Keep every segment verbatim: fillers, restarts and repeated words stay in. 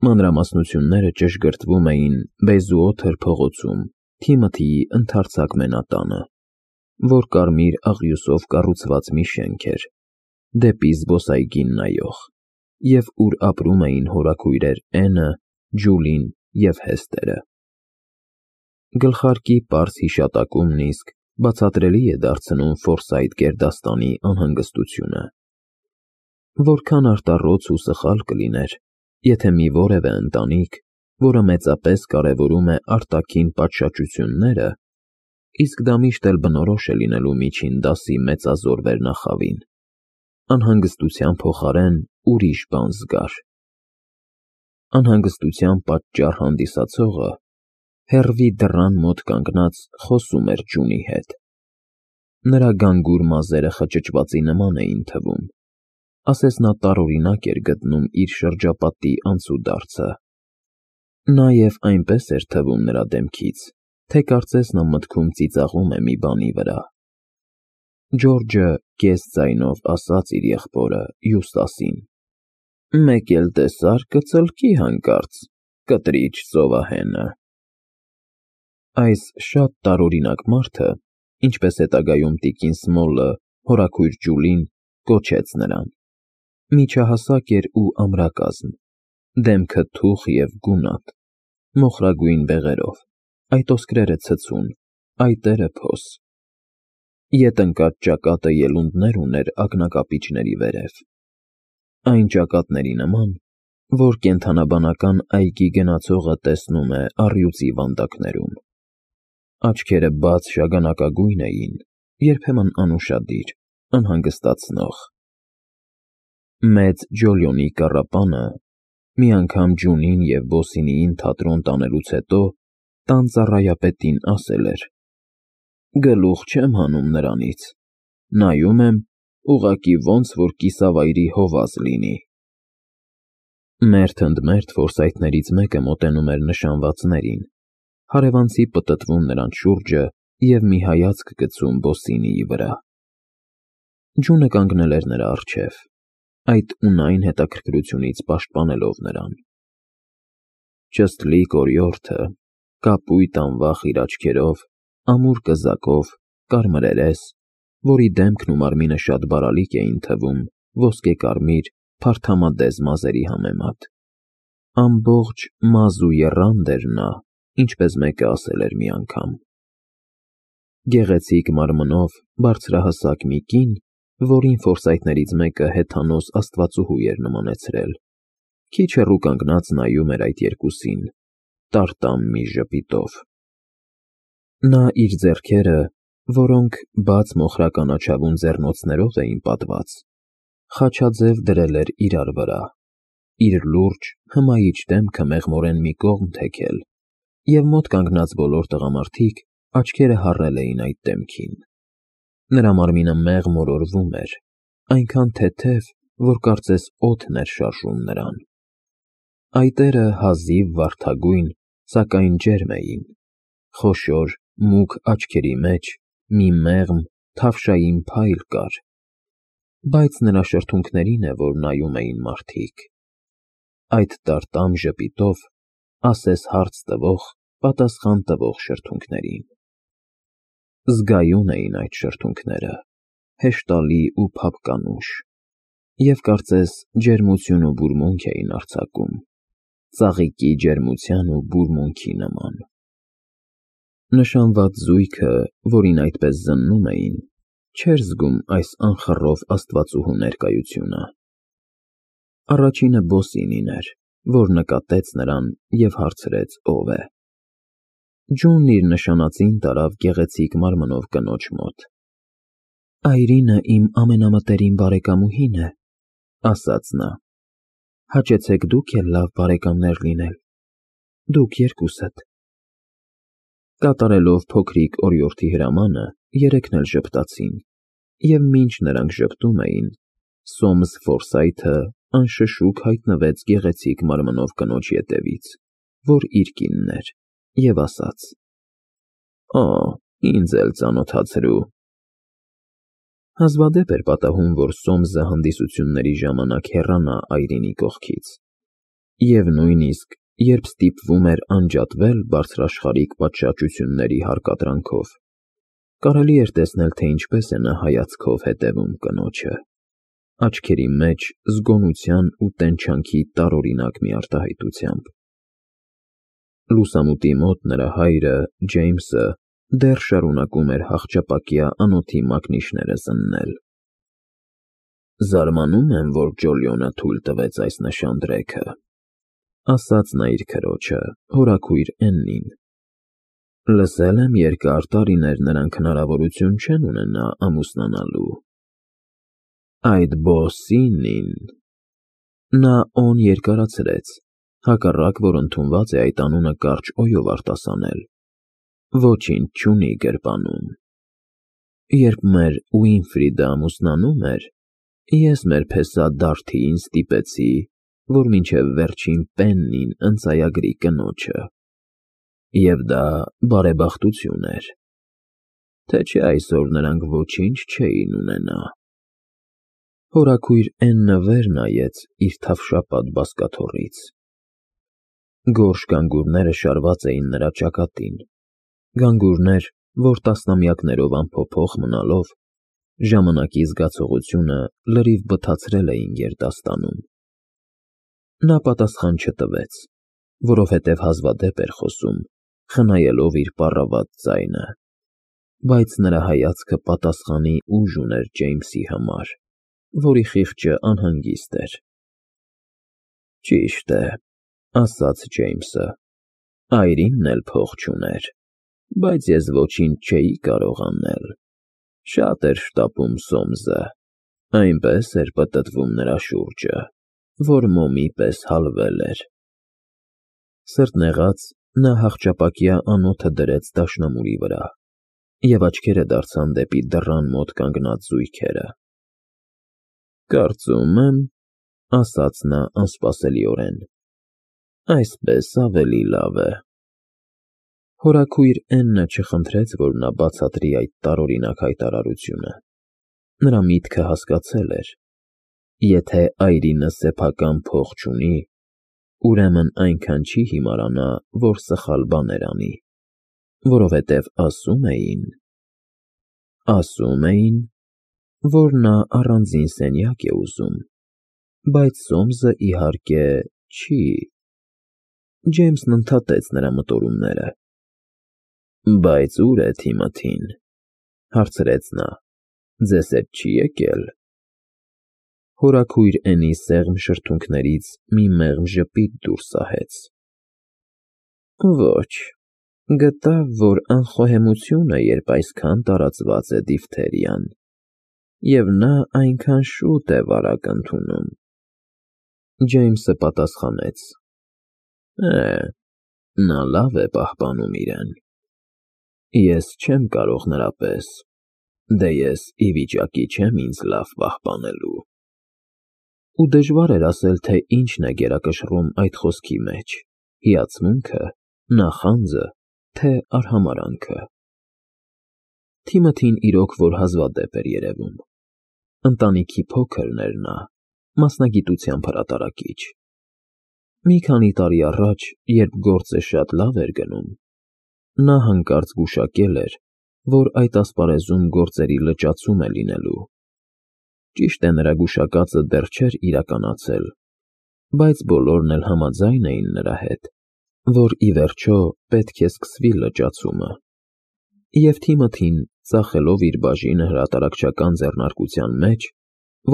Մանրամասնությունները ճշգրտվում էին Բեզուօթր փողոցում, Թիմոթիի ընդարձակ մենատանը, որ կարմիր աղյուսով կառուցված մի շենք էր, դեպի զբոսայգին նայող, և ուր ապրում էին հորաքույրեր Էնը, Ջուլին և Հեստերը։ Գլխարկի պարզ հիշատակումն իսկ բացատրելի է դարձնում Ֆորսայթ գերդաստանի անհանգստությունը։ Որքան արտառոց ու սխալ կլիներ, եթե մի որևէ ընտանիք, որը մեծապես կարևորում է արտաքին պատշաճությունները, իսկ դա միշտ էլ բնորոշ է լինելու միջին դասի մեծազոր վերնախավին, անհանգստության փոխարեն ուրիշ բան զգար։ Անհանգստության պատճառ հանդիսացողը հեռվի դռան մոտ կանգնած խոսում էր Ջունի հետ։ Նրա գանգուր մազերը խճճվածի նման էին թվում, ասես նա տարօրինակ էր գտնում իր շրջապատի անցուդարձը։ Նաև այնպես էր թվում նրա դեմքից, թե կարծես նա մտքում ծիծաղում է մի բանի վրա։ Ջորջը կես ձայնով ասաց իր եղբորը Յուստասին. «Մեկ էլ տեսար կծլկի հանկարծ, կտրիչ ծովահենը»։ Այս շատ տարօրինակ մարդը, ինչպես հետագայում տիկին Սմոլը, հորաքույր Ջուլին, կոչեց նրան, միջահասակ էր ու ամրակազմ, դեմքը թուխ և գունատ, մոխրագույն բեղերով, այդ ոսկրերը ցցուն, այտերը փոս։ Ետ ընկած ճակատը ելունդներ ուներ ակնակապիճների վերև, այն ճակատների նման, որ կենդանաբանական այգի գնացողը տեսնում է առյուծի վանդակներում։ Աչքերը բաց շագանակագույն էին, երբեմն անուշադիր, անհանգստացնող։ Մեծ Ջոլիոնի կառապանը մի անգամ Ջունին և Բոսինիին թատրոն տանելուց հետո տան ծառայապետին ասել էր. «Գլուխ չեմ հանում նրանից, նայում եմ, ուղղակի ոնց որ կիսավայրի հովազ լինի»։ Մերթ ընդ մերթ Ֆորսայթներից մեկը մոտենում էր նշանվածներին, հարևանցի պտտվում նրանց շուրջը և մի հայացք գցում Բոսինիի վրա։ Ջունը կանգնել էր նրա առջև, այդ ունայն հետաքրքրությունից պաշտպանելով նրան։ Չստլիկ օրիորդը, կապույտ անվախ իր աչքերով, ամուր կզակով, կարմրերես, որի դեմքն ու մարմինը շատ բարալիկ էին թվում ոսկեկարմիր, փարթամադեզ մազերի համեմատ։ Ամբողջ մազ ու եռանդ էր նա, ինչպես մեկը ասել էր մի անգամ։ Գեղեցիկ մարմնով բարձրահասակ մի կին, որին Ֆորսայթներից մեկը հեթանոս աստվածուհու էր նմանեցրել, քիչ հեռու կանգնած նայում էր այդ երկուսին, տարտամ մի ժպիտով։ Նա իր ձեռքերը, որոնք բաց մոխրականաչավուն ձեռնոցներով էին պատված, խաչաձև դրել էր իրար վրա, իր լուրջ, հմայիչ դեմքը մեղմորեն մի կողմ թեքել, և մոտ կանգնած բոլոր տղամարդիկ աչքերը հառել էին այդ դեմքին։ Նրա մարմինը մեղմ մորորվում էր, այնքան թեթև, որ կարծես օդն էր շարժում նրան։ Այտերը հազիվ վարդագույն, սակայն ջերմ էին, խոշոր, մուգ աչքերի մեջ մի մեղմ, թավշային փայլ կար, բայց նրա շրթունքներին է, որ նայում էին մարդիկ, այդ տարտամ ժպիտով, ասես հարց տվող, պատասխան տվող շրթունքներին։ Զգայուն էին այդ շրթունքները, հեշտալի ու փափկանուշ, և կարծես ջերմություն ու բուրմունք էին արձակում, ծաղիկի ջերմության ու բուրմունքի նման։ Նշանված զույգը, որին այդպես զննում էին, չէր զգում այս անխռով աստվածուհու ներկայությունը։ Առաջինը Բոսինին էր, որ նկատեց նրան և հարցրեց ով է։ Ջունն իր նշանածին տարավ գեղեցիկ մարմնով կնոջ մոտ։ «Այրինը իմ ամենամտերիմ բարեկամուհին է», ասաց նա։ «Հաճեցեք դուք էլ լավ բարեկամներ լինել, դուք երկուսդ»։ Կատարելով փոքրիկ օրիորդի հրամանը, երեքն էլ ժպտացին, և մինչ նրանք ժպտում էին, Սոմս Ֆորսայթը անշշուկ հայտնվեց գեղեցիկ մարմնով կնոջ ետևից, որ իր կինն էր, և ասաց. «Օ, ինձ էլ ծանոթացրու»։ Հազվադեպ էր պատահում, որ Սոմսը հանդիսությունների ժամանակ հեռանա Այրինի կողքից, Եվ նույնիսկ, երբ ստիպվում էր անջատվել բարձրաշխարհիկ պատշաճությունների հարկադրանքով, կարելի էր տեսնել, թե ինչպես է նա հայացքով հետևում կնոջը, աչքերի մեջ զգոնության ու տենչանքի տարօրինակ մի արտահայտությամբ։ Լուսամուտի մոտ նրա հայրը, Ջեյմսը, դեռ շարունակում էր հախճապակյա անոթի մակնիշները զննել։ «Զարմանում եմ, որ Ջոլիոնը թույլ տվեց այս նշանդրեքը», ասաց նա իր քրոջը, հորաքույր Էննին։ «Լսել եմ, երկար տարիներ նրանք հնարավորություն չեն ունենա ամուսնանալու»։ Այդ Բոսինին… Նա օն երկարացրեց, հակառակ որ ընդունված է այդ անունը կարճ օյով արտասանել։ Ոչինչ չունի գրպանում։ Երբ մեր Ուինֆրիդը ամուսնանում էր, ես մեր փեսա Դարթիին ստիպեցի, որ մինչև վերջին պեննին ընծայագրի կնոջը, և դա բարեբախտություն էր, թե չէ այսօր նրանք ոչինչ չէին ունենա։ Հորաքույր Էննը վեր նայեց իր թավշապատ բազկաթոռից։ Գորշ գանգուրները շարված էին նրա ճակատին, գանգուրներ, որ տասնամյակներով անփոփոխ մնալով, ժամանակի զգացողությունը լրիվ բթացրել էին գերդաստանում։ Նա պատասխան չտվեց, որովհետև հազվադեպ էր խոսում, խնայելով իր պառավատ ձայնը, բայց նրա հայացքը պատասխանի ուժ ուներ Ջեյմսի համար, որի խիղճը անհանգիստ էր։ «Ճիշտ է,» ասաց Ջեյմսը, «այրինն էլ փող չուներ, բայց ես ոչինչ չէի կարող անել։ Շատ էր շտապում Սոմսը, այնպես էր պտտվում նրա շուրջը, որ մոմի պես հալվել էր»։ Սրտնեղած, նա հախճապակյա անոթը դրեց դաշնամուրի վրա, և աչքերը դարձան դեպի դռան մոտ կանգնած զույգերը։ «Կարծում եմ,» ասաց նա անսպասելիորեն, «այսպես ավելի լավ է»։ Հորաքույր Էննը չխնդրեց, որ նա բացատրի այդ տարօրինակ հայտարարությունը։ Նրա միտքը հասկացել էր. եթե այրինը սեփական փող չունի, ուրեմն այնքան չի հիմարանա, որ սխալ բաներ անի, որովհետև ասում էին… Ասում էին, որ նա առանձին սենյակ է ուզում, բայց Սոմսը, իհարկե, չի… Ջեյմսն ընդհատեց նրա մտորումները։ «Բայց ո՞ւր է Թիմոթին,» հարցրեց նա, «ձեզ հետ չի եկել»։ Հորաքույր Էնի սեղմ շրթունքներից մի մեղմ ժպիտ դուրս սահեց։ «Ոչ, գտավ, որ անխոհեմություն է, երբ այսքան տարածված է դիֆթերիան, և նա այնքան շուտ է վարակ ընդունում»։ Ջեյմսը պատասխանեց. «Է, նա լավ է պահպանում իրեն։ Ես չեմ կարող նրա պես, դե ես ի վիճակի չեմ ինձ լավ պահպանելու»։ Ու դժվար էր ասել, թե ինչն է գերակշռում այդ խոսքի մեջ՝ հիացմունքը, նախանձը, թե արհամարհանքը։ Թիմոթին իրոք որ հազվադեպ էր երևում։ Ընտանիքի փոքրն էր նա, մասնագիտությամբ հրատարակիչ։ Մի քանի տարի առաջ, երբ գործը շատ լավ էր գնում, նա հանկարծ գուշակել էր, որ այդ ասպարեզում գործերի լճացում է լինելու։ Ճիշտ է, նրա գուշակածը դեռ չէր իրականացել, բայց բոլորն էլ համաձայն էին նրա հետ, որ ի վերջո պետք է սկսվի լճացումը։ Եվ Թիմոթին, ծախելով իր բաժինը հրատարակչական ձեռնարկության մեջ,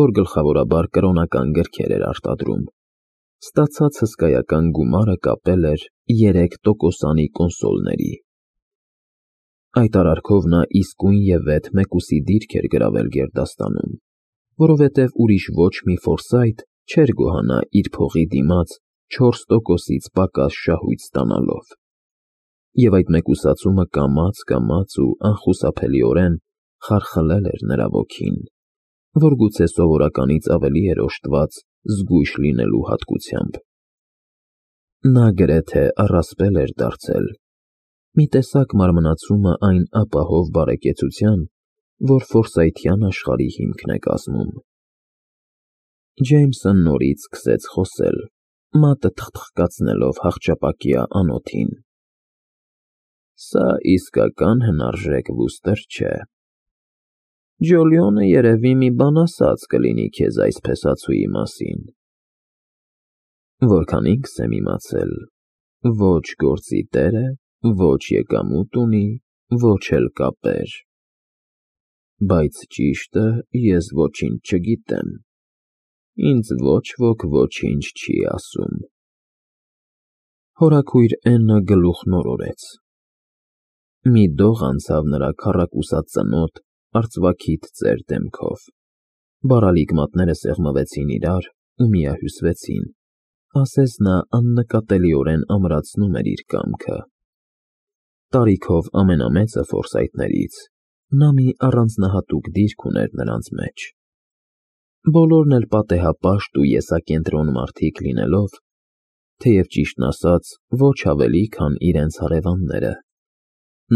որ գլխավորաբար կրոնական գրքեր էր արտադրում, ստացած հսկայական գումարը կապել էր երեք տոկոսանի կոնսոլների։ Այդ արարքով նա իսկույնևեթ մեկուսի դիրք էր գրավել գերդաստանում, որովհետև ուրիշ ոչ մի ֆորսայթ չէր գոհանա իր փողի դիմաց չորս տոկոսից պակաս շահույթ ստանալով։ Եվ այդ մեկուսացումը կամաց֊կամաց ու անխուսափելիորեն խարխլել էր նրա ոգին, որ գուցե սովորականից ավելի էր օժտված զգույշ լինելու հատկությամբ։ Նա գրեթե առասպել էր դարձել, մի տեսակ մարմնացումը այն ապահով բարեկեցության, որ ֆորսայթյան աշխարհի հիմքն է կազմում։ Ջեյմսը նորից սկսեց խոսել, մատը թխթխկացնելով հախճապակյա անոթին։ Սա իսկական հնարժեք վուստր չէ։ Ջոլիոնը երևի մի բան ասած կլինի քեզ այս փեսացուի մասին։ Որքան ինքս եմ իմացել, ոչ գործի տեր է, ոչ եկամուտ ունի, ոչ էլ կապեր։ Բայց ճիշտը ես ոչինչ չգիտեմ, ինձ ոչ ոք ոչինչ չի ասում։ Հորաքույր Էննը գլուխն օրորեց։ Մի դող անցավ նրա քառակուսած ծնոտ, արծվաքիթ ծեր դեմքով, բարալիկ մատները սեղմվեցին իրար ու միահյուսվեցին, ասես նա աննկատելիորեն ամրացնում էր իր կամքը։ Տարիքով ամենամեծը Ֆորսայթներից, նա մի առանձնահատուկ դիրք ուներ նրանց մեջ։ Բոլորն էլ պատեհապաշտ ու եսակենտրոն մարդիկ լինելով, թեև ճիշտն ասած, ոչ ավելի, քան իրենց հարևանները,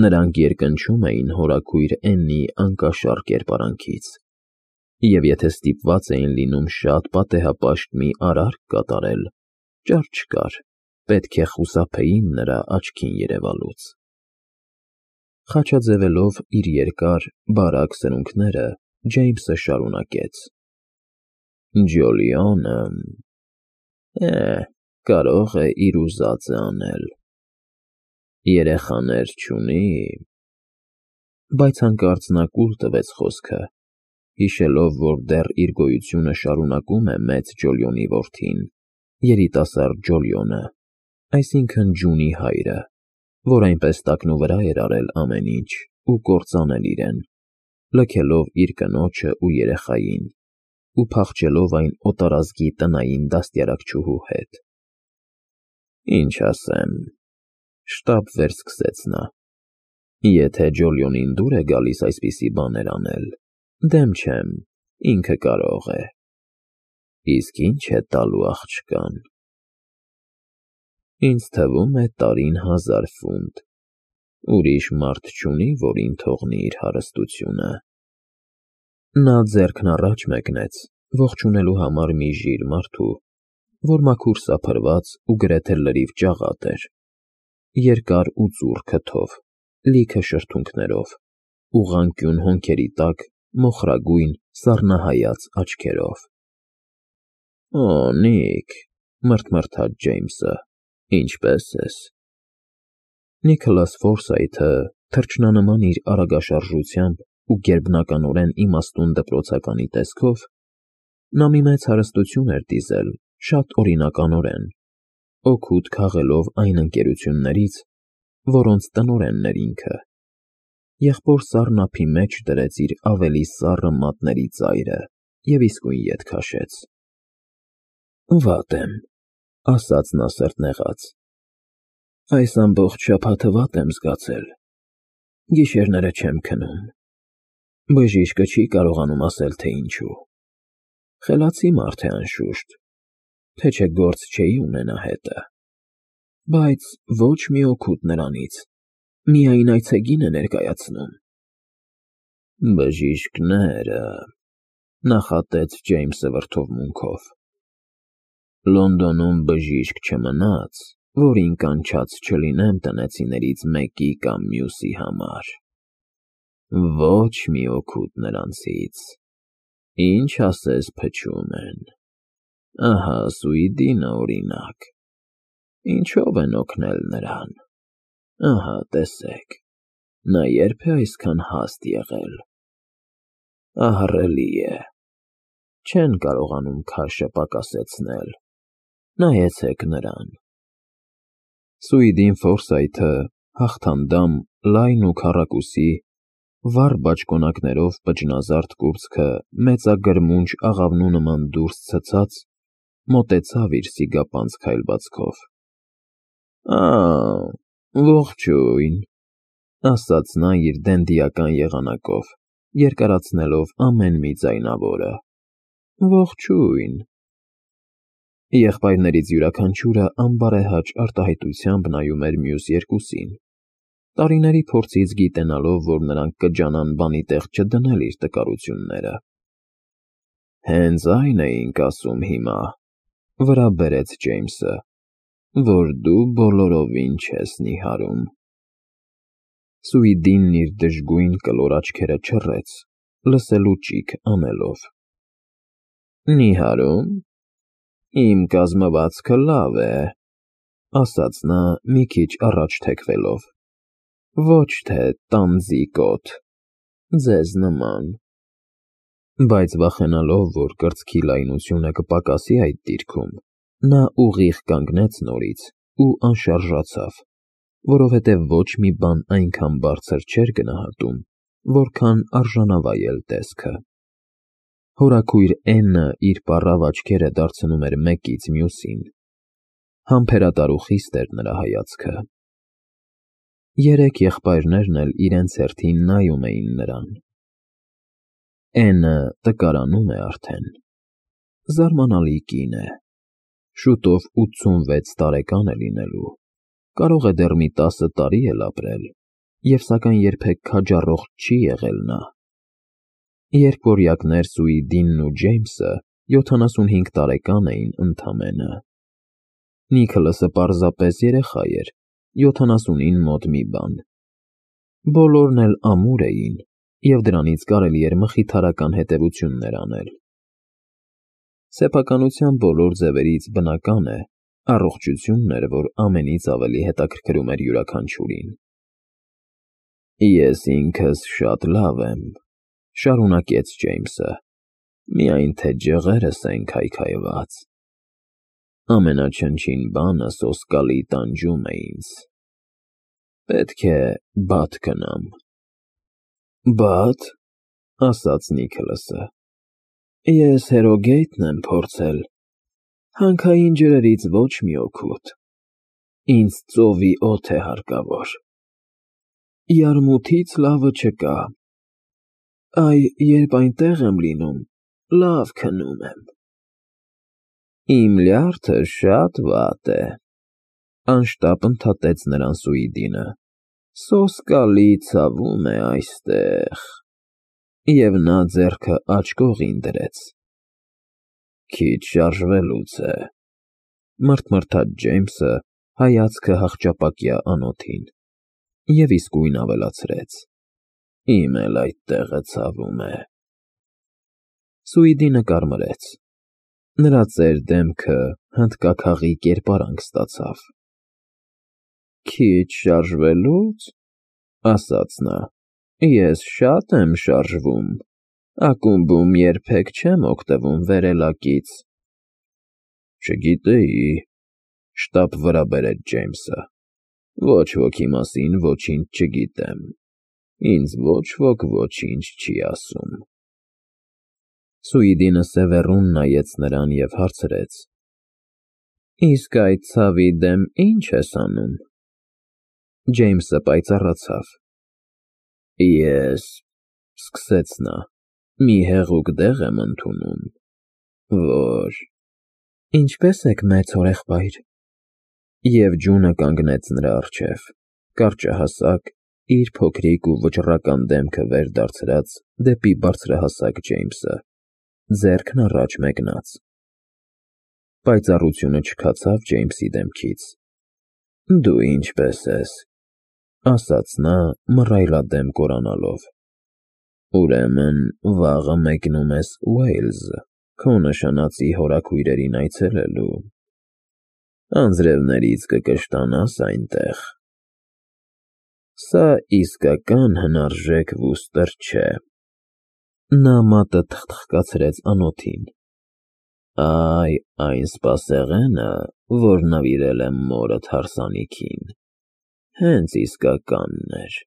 նրանք երկնչում էին հորաքույր Էննի անկաշառ կերպարանքից, և եթե ստիպված էին լինում շատ պատեհապաշտ մի արարք կատարել, ճար չկար, պետք է խուսափեին նրա աչքին երևալուց։ Խաչաձևելով իր երկար, բարակ սրունքները, Ջեյմսը շարունակեց. Ջոլիոնը… է, կարող է իր ուզածը անել։ Երեխաներ չունի… Բայց հանկարծ նա կուլ տվեց խոսքը, հիշելով, որ դեռ իր գոյությունը շարունակում է մեծ Ջոլիոնի որդին, երիտասարդ Ջոլիոնը, այսինքն Ջունի հայրը, որ այնպես տակնուվրա էր արել ամեն ինչ ու կործանել իրեն, լքելով իր կնոջը ու երեխային ու փախչելով այն օտարազգի տնային դաստիարակչուհու հետ։ Ինչ ասեմ, շտապ վերսկսեց նա, եթե Ջոլիոնին դուր է գալիս այսպիսի բաներ անել, դեմ չեմ, ինքը կարող է։ Իսկ ինչ է տալու աղջկան։ Ինձ թվում է տարին հազար ֆունտ, ուրիշ մարդ չունի, որին թողնի իր հարստությունը։ Նա ձեռքն առաջ մեկնեց, ողջունելու համար մի ժիր մարդու, որ մաքուր սափրված ու գրեթե լրիվ ճաղատ էր, երկար ու ծուռ քթով, լիքը շրթունքներով, ուղղանկյուն հոնքերի տակ մոխրագույն սառնահայաց աչքերով։ Օ, Նիք, մռթմռթաց Ջեյմսը, ինչպե՞ս ես։ Նիքոլաս Ֆորսայթը թռչնանման իր արագաշարժությամբ ու գերբնականորեն իմաստուն դպրոցականի տեսքով, նա մի մեծ հարստություն էր դիզել շատ օրինականորեն, օգուտ քաղելով այն ընկերություններից, որոնց տնօրենն էր ինքը, եղբոր սառն ափի մեջ դրեց իր ավելի սառը մատների ծայրը և իսկույն ետ քաշեց։ Վատ եմ, ասաց նա սրտնեղած, այս ամբողջ շաբաթը վատ եմ զգացել, գիշերները չեմ քնում, բժիշկը չի կարողանում ասել, թե ինչու, խելացի մարդ է անշուշտ, թե չէ գործ չէի ունենա հետը, բայց ոչ մի օգուտ նրանից, միայն այցեգին է ներկայացնում։ Բժիշկները… նախատեց Ջեյմսը վրդովմունքով։ Լոնդոնում բժիշկ չմնաց, որին կանչած չլինեմ տնեցիներից մեկի կամ մյուսի համար։ Ոչ մի օգուտ նրանցից, ինչ ասես փչում են։ Ահա Սուիդինը օրինակ, ինչով են օգնել նրան։ Ահա տեսեք, նա երբ է այսքան հաստ եղել։ Ահռելի է, չեն կարողանում քաշը պակասեցնել, նայեցեք նրան։ Սուիդին Ֆորսայթը հաղթանդամ, լայն ու քառակուսի, վառ բաճկոնակներով պճնազարդ կուրծքը մեծագրմունջ աղավնու նման դուրս ցցած, մոտեցավ իր սիգապանծ քայլվածքով։ Ա, ողջույն, ասաց նա իր դենդիական եղանակով, երկարացնելով ամեն մի ձայնավորը։ Ողջույն։ Եղբայրներից յուրաքանչյուրը անբարեհաճ արտահայտությամբ նայում էր մյուս երկուսին, տարիների փորձից գիտենալով, որ նրանք կջանան բանի տեղ չդնել իր տկարությունները։ Հենց այն էինք ասում հիմա, վրա բերեց Ջեյմսը, որ դու բոլորովին չես նիհարում։ Սուիդինն իր դժգույն կլոր աչքերը չռեց, լսելու ճիգ անելով։ Նիհարում։ Իմ կազմվածքը լավ է, ասաց նա մի քիչ առաջ թեքվելով, ոչ թե տանձիկոտ, ձեզ նման։ Բայց վախենալով, որ կրծքի լայնությունը կպակասի այդ դիրքում, նա ուղիղ կանգնեց նորից ու անշարժացավ, որովհետև ոչ մի բան այնքան բարձր չէր գնահատում, որքան արժանավայել տեսքը։ Հորաքույր Էննը իր պառավ աչքերը դարձնում էր մեկից մյուսին։ Համբերատար ու խիստ էր նրա հայացքը։ Երեք եղբայրներն էլ իրենց հերթին նայում էին նրան։ Էննը տկարանում է արդեն։ Զարմանալի կին է։ Շուտով ութսունվեց տարեկան է լինելու, կարող է դեռ մի տասը տարի էլ ապրել, և սակայն երբեք քաջառող չի եղել նա։ Երկվորյակներ Սուիդինն ու Ջեյմսը յոթանասունհինգ տարեկան էին ընդամենը։ Նիքոլասը պարզապես երեխա էր, յոթանասունին մոտ մի բան։ Բոլորն էլ ամուր էին, և դրանից կարելի էր մխիթարական հետևություններ անել։ Սեփականության բոլոր ձևերից բնական է, առողջությունն էր, որ ամենից ավելի հետաքրքրում էր յուրաքանչյուրին։ Ես ինքս շատ լավ եմ, շարունակեց Ջեյմսը, միայն թե ջղերս են քայքայված։ Ամենաչնչին բանը սոսկալի տանջում է ինձ։ Պետք է բադ գնամ։ Բադ, ասաց Նիքոլասը, ես հերոգեյթն եմ փորձել, հանքային ջրերից ոչ մի օգուտ, ինձ ծովի օդ է հարկավոր։ Յարմութից լավը չկա, այ երբ այնտեղ եմ լինում, լավ քնում եմ։ Իմ լյարդը շատ վատ է, անշտապ ընդհատեց նրան Սուիդինը, սոսկալի ցավում է այստեղ, և նա ձեռքը աջ կողին դրեց։ Քիչ շարժվելուց է, մռթմռթաց Ջեյմսը, հայացքը հախճապակյա անոթին, և իսկույն ավելացրեց. Իմ էլ այդ տեղը ցավում է։ Սուիդինը կարմրեց։ Նրա ծեր դեմքը հնդկաքաղի կերպարանք ստացավ։ Քիչ շարժվելուց, ասաց նա, ես շատ եմ շարժվում, ակումբում երբեք չեմ օգտվում վերելակից։ Չգիտեի, շտապ վրա բերեց Ջեյմսը, ոչ ոքի մասին ոչինչ չգիտեմ, ինձ ոչ ոք ոչինչ չի ասում։ Սուիդինը սևեռուն նայեց նրան և հարցրեց. Իսկ այդ ցավի դեմ ի՞նչ ես անում։ Ջեյմսը պայծառացավ։ Ես, սկսեց նա, մի հեղուկ դեղ եմ ընդունում, որ… Ինչպե՞ս եք, մեծ հորեղբայր։ Եվ ջունը կանգնեց նրա առջև, կարճահասակ, իր փոքրիկ ու վճռական դեմքը վեր դարձրած դեպի բարձրահասակ Ջեյմսը, ձեռքն առաջ մեկնած։ Պայծառությունը չքացավ Ջեյմսի դեմքից։ Դու ինչպե՞ս ես, ասաց նա մռայլադեմ կորանալով։ Ուրեմն վաղը մեկնում ես Ուեյլզ, քո նշանածի հորաքույրերին այցելելու։ Անձրևներից կկշտանաս այնտեղ։ Սա իսկական հնարժեք վուստր չէ։ Նա մատը թխթխկացրեց անոթին։ Այ, այն սպասեղենը, որ նվիրել եմ մորդ հարսանիքին, հենց իսկականն էր։